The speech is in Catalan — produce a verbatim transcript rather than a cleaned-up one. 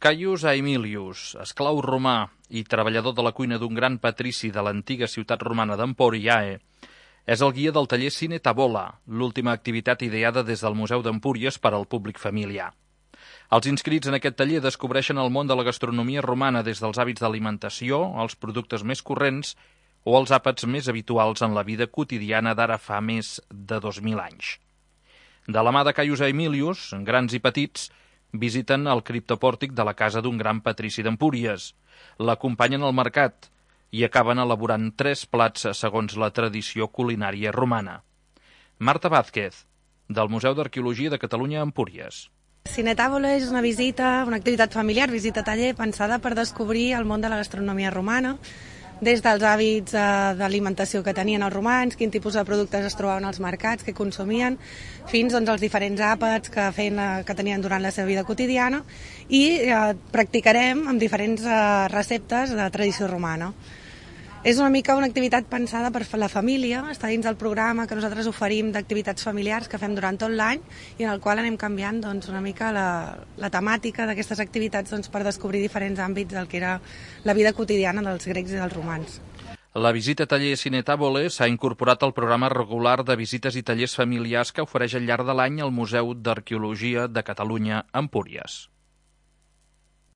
Caius Aemilius, esclau romà i treballador de la cuina d'un gran patrici de l'antiga ciutat romana d'Emporiae, és el guia del taller Cine Tavola, l'última activitat ideada des del Museu d'Empúries per al públic familiar. Els inscrits en aquest taller descobreixen el món de la gastronomia romana des dels hàbits d'alimentació, els productes més corrents o els àpats més habituals en la vida quotidiana d'ara fa més de dos mil anys. De la mà de Caius Aemilius, grans i petits, visiten el criptopòrtic de la casa d'un gran patrici d'Empúries, l'acompanyen al mercat i acaben elaborant tres plats segons la tradició culinària romana. Marta Vázquez, del Museu d'Arqueologia de Catalunya a Empúries. Cine Tavola és una visita, una activitat familiar, visita taller, pensada per descobrir el món de la gastronomia romana, des dels hàbits eh, d'alimentació que tenien els romans, quin tipus de productes es trobaven als mercats, què consumien, fins doncs, als diferents àpats que, feien, eh, que tenien durant la seva vida quotidiana i eh, practicarem amb diferents eh, receptes de tradició romana. És una mica una activitat pensada per la família, està dins del programa que nosaltres oferim d'activitats familiars que fem durant tot l'any i en el qual anem canviant doncs, una mica la, la temàtica d'aquestes activitats doncs, per descobrir diferents àmbits del que era la vida quotidiana dels grecs i dels romans. La visita taller Cine Tavole s'ha incorporat al programa regular de visites i tallers familiars que ofereix al llarg de l'any el Museu d'Arqueologia de Catalunya a Empúries.